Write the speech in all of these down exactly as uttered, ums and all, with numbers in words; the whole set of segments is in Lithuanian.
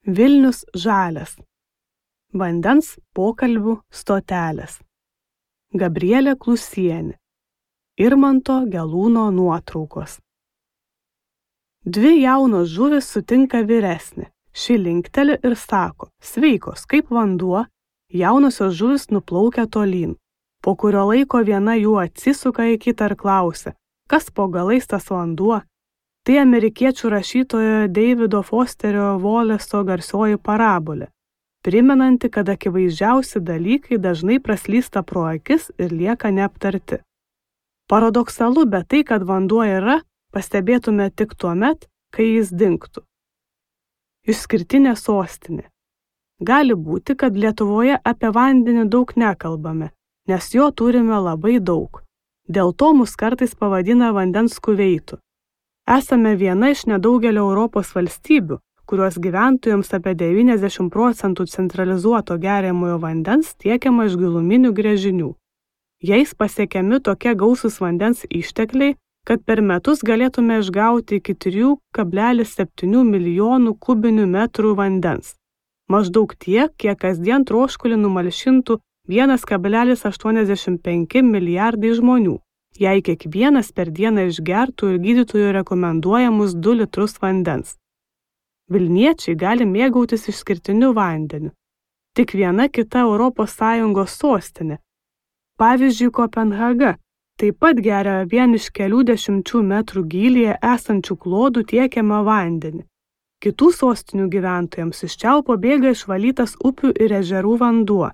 Vilnius žalias. Vandens pokalbių stotelės. Gabrielė Klusienė. Irmanto Gelūno nuotraukos. Dvi jaunos žuvys sutinka vyresnį. Ši linkteli ir sako: sveikos, kaip vanduo. Jaunosios žuvys nuplaukia tolyn. Po kurio laiko viena jų atsisuka į kitą ir klausia: kas po galais tas vanduo? Tai amerikiečių rašytojo Davido Fosterio Wallace'o garsioji parabolė, primenanti, kad akivaizdžiausi dalykai dažnai praslysta pro akis ir lieka neaptarti. Paradoksalu, bet tai, kad vanduo yra, pastebėtume tik tuomet, kai jis dingtų. Išskirtinė sostinė. Gali būti, kad Lietuvoje apie vandenį daug nekalbame, nes jo turime labai daug. Dėl to mus kartais pavadina vandens kuveitu. Esame viena iš nedaugelio Europos valstybių, kurios gyventojams apie devyniasdešimt procentų centralizuoto geriamojo vandens tiekiama iš giluminių gręžinių. Jais pasiekiami tokie gausūs vandens ištekliai, kad per metus galėtume išgauti iki trijų kablelis septynių milijonų kubinių metrų vandens. Maždaug tiek, kiek kasdien troškulį numalšintų vienas kablelis aštuoniasdešimt penki milijardai žmonių, jei kiekvienas per dieną išgertų ir gydytojų rekomenduojamus du litrus vandens. Vilniečiai gali mėgautis išskirtiniu vandeniu. Tik viena kita Europos Sąjungos sostinė, pavyzdžiui Kopenhaga, taip pat geria vien iš kelių dešimčių metrų gylyje esančių klodų tiekiamą vandenį. Kitų sostinių gyventojams iš čiaupo bėga išvalytas upių ir ežerų vanduo,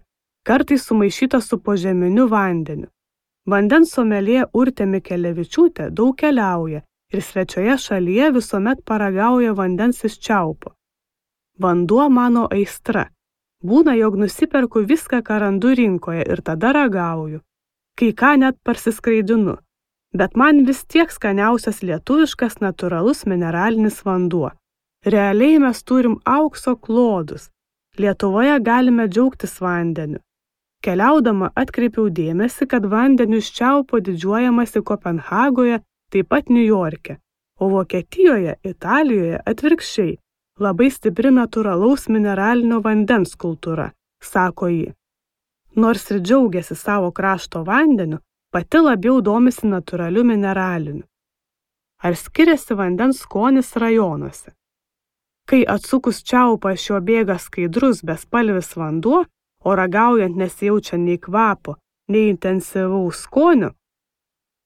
kartais sumaišytas su požeminiu vandeniu. Vandens somelė Urtė Mikelevičiūtė daug keliauja ir svečioje šalyje visuomet paragauja vandens iš čiaupo. Vanduo mano aistra. Būna, jog nusiperku viską, ką randu rinkoje ir tada ragauju. Kai ką net parsiskraidinu. Bet man vis tiek skaniausias lietuviškas natūralus mineralinis vanduo. Realiai mes turim aukso klodus. Lietuvoje galime džiaugtis vandeniu. Keliaudama atkreipiau dėmesį, kad vandeniu iš čiaupo didžiuojamasi Kopenhagoje, taip pat Niujorke, o Vokietijoje, Italijoje atvirkščiai, labai stipri natūralaus mineralinio vandens kultūra, sako ji. Nors ir džiaugiasi savo krašto vandeniu, pati labiau domisi natūraliu mineraliniu. Ar skiriasi vandens skonis rajonuose? Kai atsukus čiaupą iš jo bėga skaidrus bespalvis vanduo, o ragaujant nesijaučia nei kvapo, nei intensyvaus skonio,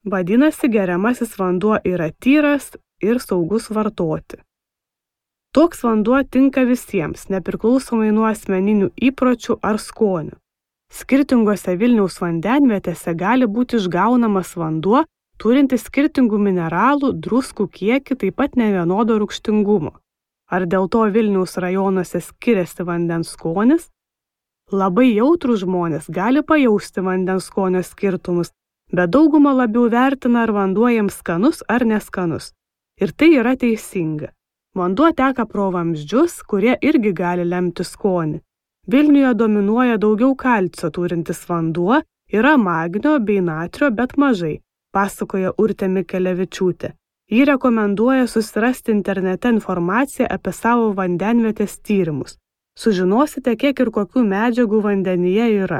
vadinasi, geriamasis vanduo yra tyras ir saugus vartoti. Toks vanduo tinka visiems, nepriklausomai nuo asmeninių įpročių ar skonių. Skirtingose Vilniaus vandenvietėse gali būti išgaunamas vanduo, turintis skirtingų mineralų, druskų kiekį, taip pat nevienodo rūgštingumo. Ar dėl to Vilniaus rajonuose skiriasi vandens skonis? Labai jautrūs žmonės gali pajausti vandens skonio skirtumus, bet dauguma labiau vertina, ar vanduo jiems skanus ar neskanus. Ir tai yra teisinga. Vanduo teka pro vamzdžius, kurie irgi gali lemti skonį. Vilniuje dominuoja daugiau kalcio turintis vanduo, yra magnio bei natrio, bet mažai, pasakoja Urtė Mikelevičiūtė. Ji rekomenduoja susirasti internete informaciją apie savo vandenvietės tyrimus. Sužinosite, kiek ir kokių medžiagų vandenyje yra.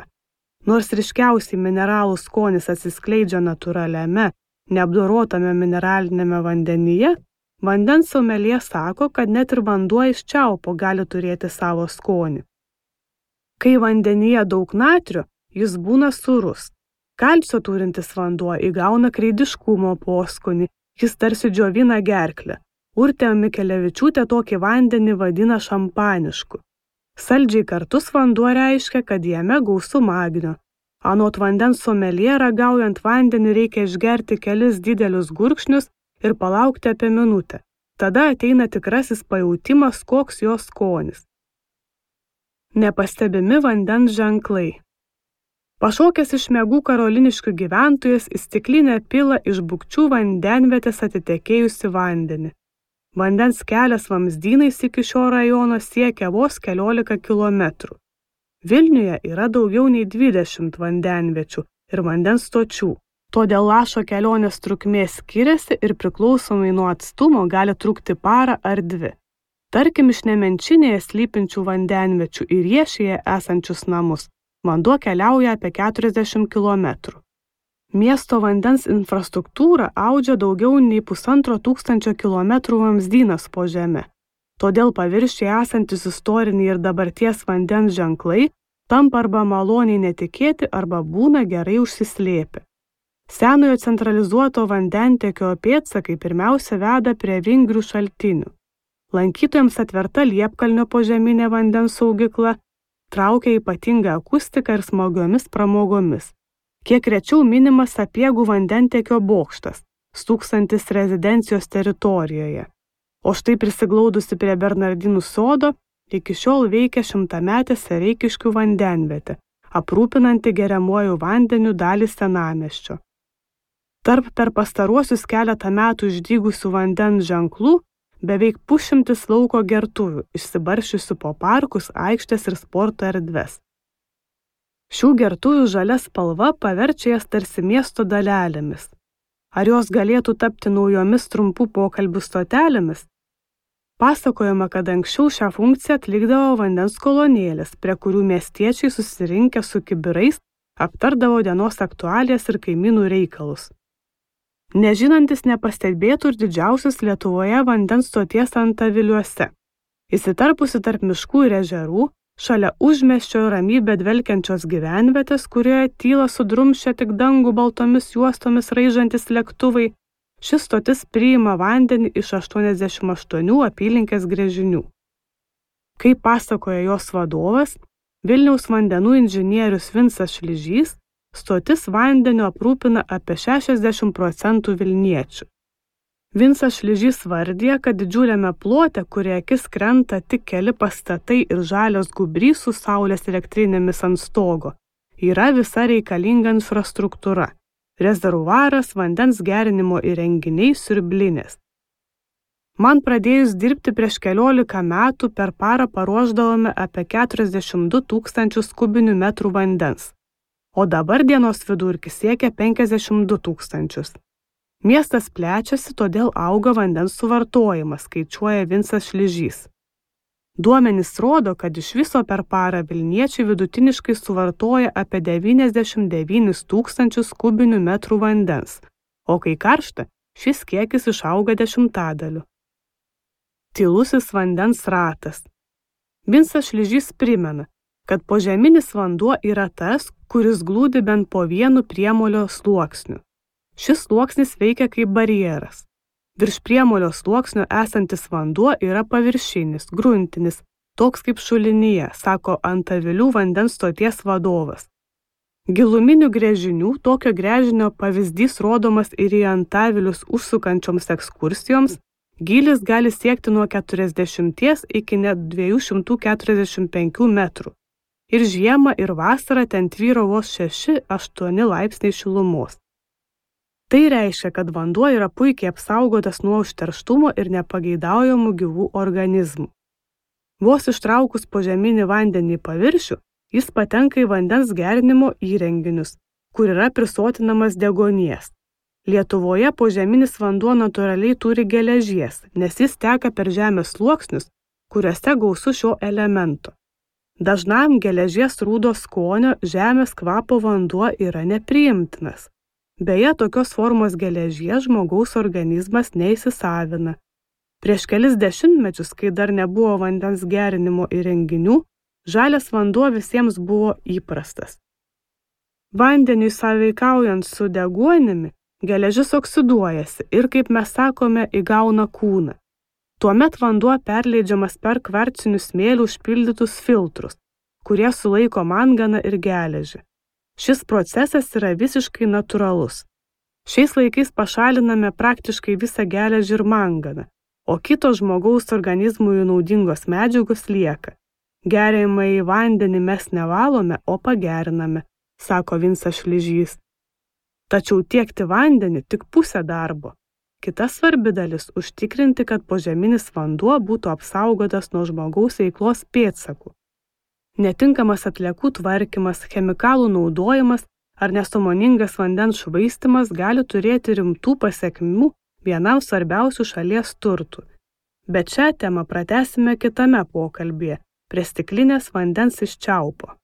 Nors ryškiausiai mineralų skonis atsiskleidžia natūraliame, neapdorotame mineralinėme vandenyje, vandens somelė sako, kad net ir vanduo iš čiaupo gali turėti savo skonį. Kai vandenyje daug natrio, jis būna sūrus. Kalcio turintis vanduo įgauna kreidiškumo poskonį, jis tarsi džiovina gerklę. Urtė Mikelevičiūtė tokį vandenį vadina šampanišku. Saldžiai kartus vanduo reiškia, kad jame gausu magnio. Anot vandens somelė, ragaujant vandenį reikia išgerti kelis didelius gurkšnius ir palaukti apie minutę. Tada ateina tikrasis pajautimas, koks jo skonis. Nepastebimi vandens ženklai. Pašokęs iš miegų karoliniškių gyventojas į stiklinę pila iš Bukčių vandenvietės atitekėjusi vandenį. Vandens kelias vamzdynais iki šio rajono siekia vos keliolika kilometrų. Vilniuje yra daugiau nei dvidešimt vandenviečių ir vandens stočių, todėl lašo kelionės trukmė skiriasi ir priklausomai nuo atstumo gali trukti parą ar dvi. Tarkim, iš Nemenčinėje slypinčių vandenviečių į Riešėje esančius namus vanduo keliauja apie keturiasdešimt kilometrų. Miesto vandens infrastruktūra audžia daugiau nei pusantro tūkstančio kilometrų vamzdynas po žeme. Todėl paviršiuje esantis istoriniai ir dabarties vandens ženklai tampa arba maloniai netikėti, arba būna gerai užsislėpę. Senojo centralizuoto vandentiekio pėdsakai pirmiausia veda prie vingrių šaltinių. Lankytojams atverta Liepkalnio požeminė vandens saugykla traukia ypatingą akustiką ir smagiomis pramogomis. Kiek rečiau minimas Sapiegų vandentiekio bokštas, stūksantis rezidencijos teritorijoje. O štai prisiglaudusi prie Bernardinų sodo, iki šiol veikia šimtametė Sereikiškių vandenvietė, aprūpinanti geriamuoju vandeniu dalį senamiesčio. Tarp per pastaruosius keletą metų išdygusių vandens ženklų beveik pusšimtis lauko gertuvių, išsibarsčiusių po parkus, aikštės ir sporto erdves. Šių gertuvių žalia spalva paverčia jas tarsi miesto dalelėmis. Ar jos galėtų tapti naujomis trumpų pokalbių stotelėmis? Pasakojama, kad anksčiau šią funkciją atlikdavo vandens kolonėlės, prie kurių miestiečiai susirinkę su kibirais aptardavo dienos aktualijas ir kaimynų reikalus. Nežinantis nepastebėtų ir didžiausias Lietuvoje vandens stoties Antaviliuose. Įsitarpusi tarp miškų ir ežerų, šalia užmiesčio ramybę dvelkiančios gyvenvietės, kurioje tyla sudrumščia tik dangų baltomis juostomis raižantis lėktuvai, šis stotis priima vandenį iš aštuoniasdešimt aštuonių apylinkės gręžinių. Kaip pasakoja jos vadovas, Vilniaus vandenų inžinierius Vincas Šližys, stotis vandeniu aprūpina apie šešiasdešimt procentų vilniečių. Vincas Šližys vardija, kad didžiuliame plote, kurie akis krenta tik keli pastatai ir žalios gubrys su saulės elektrinėmis ant stogo, yra visa reikalinga infrastruktūra. Rezervuaras, vandens gerinimo įrenginiai, siurblinės. Man pradėjus dirbti prieš keliolika metų per parą paruošdavome apie keturiasdešimt du tūkstančius kubinių metrų vandens, o dabar dienos vidurkis siekia penkiasdešimt du tūkstančius. Miestas plečiasi, todėl auga vandens suvartojimas, skaičiuoja Vincas Šližys. Duomenys rodo, kad iš viso per parą vilniečiai vidutiniškai suvartoja apie devyniasdešimt devynis tūkstančius kubinių metrų vandens, o kai karšta, šis kiekis išauga dešimtadaliu. Tylusis vandens ratas. Vincas Šližys primena, kad požeminis vanduo yra tas, kuris glūdi bent po vienu priemolio sluoksniu. Šis sluoksnis veikia kaip barjeras. Virš priemolio sluoksnio esantis vanduo yra paviršinis, gruntinis, toks kaip šulinyje, sako Antavilių vandens stoties vadovas. Giluminių gręžinių tokio gręžinio pavyzdys rodomas ir į Antavilius užsukančioms ekskursijoms, gylis gali siekti nuo keturiasdešimties iki net dviejų šimtų keturiasdešimt penkių metrų. Ir žiemą, ir vasarą ten tvyro vos šeši aštuoni laipsniai šilumos. Tai reiškia, kad vanduo yra puikiai apsaugotas nuo užterštumo ir nepageidaujamų gyvų organizmų. Vos ištraukus požeminį vandenį į paviršių, jis patenka į vandens gerinimo įrenginius, kur yra prisotinamas deguonies. Lietuvoje požeminis vanduo natūraliai turi geležies, nes jis teka per žemės sluoksnius, kuriuose gausu šio elemento. Dažnam geležies rūdo skonio žemės kvapo vanduo yra nepriimtinas. Beje, tokios formos geležies žmogaus organizmas neįsisavina. Prieš kelis dešimtmečius, kai dar nebuvo vandens gerinimo įrenginių, žalias vanduo visiems buvo įprastas. Vandeniui sąveikaujant su deguonimi, geležis oksiduojasi ir, kaip mes sakome, įgauna kūną. Tuomet vanduo perleidžiamas per kvarcinių smėlių užpildytus filtrus, kurie sulaiko manganą ir geležį. Šis procesas yra visiškai natūralus. Šiais laikais pašaliname praktiškai visą geležį ir manganą, o kitos žmogaus organizmui naudingos medžiagos lieka. Geriamąjį vandenį mes nevalome, o pageriname, sako Vincas Šližys. Tačiau tiekti vandenį tik pusę darbo. Kita svarbi dalis – užtikrinti, kad požeminis vanduo būtų apsaugotas nuo žmogaus veiklos pėdsakų. Netinkamas atliekų tvarkymas, chemikalų naudojimas ar nesąmoningas vandens švaistymas gali turėti rimtų pasekmių vienam svarbiausių šalies turtų. Bet šią temą pratęsime kitame pokalbyje prie stiklinės vandens iš čiaupo.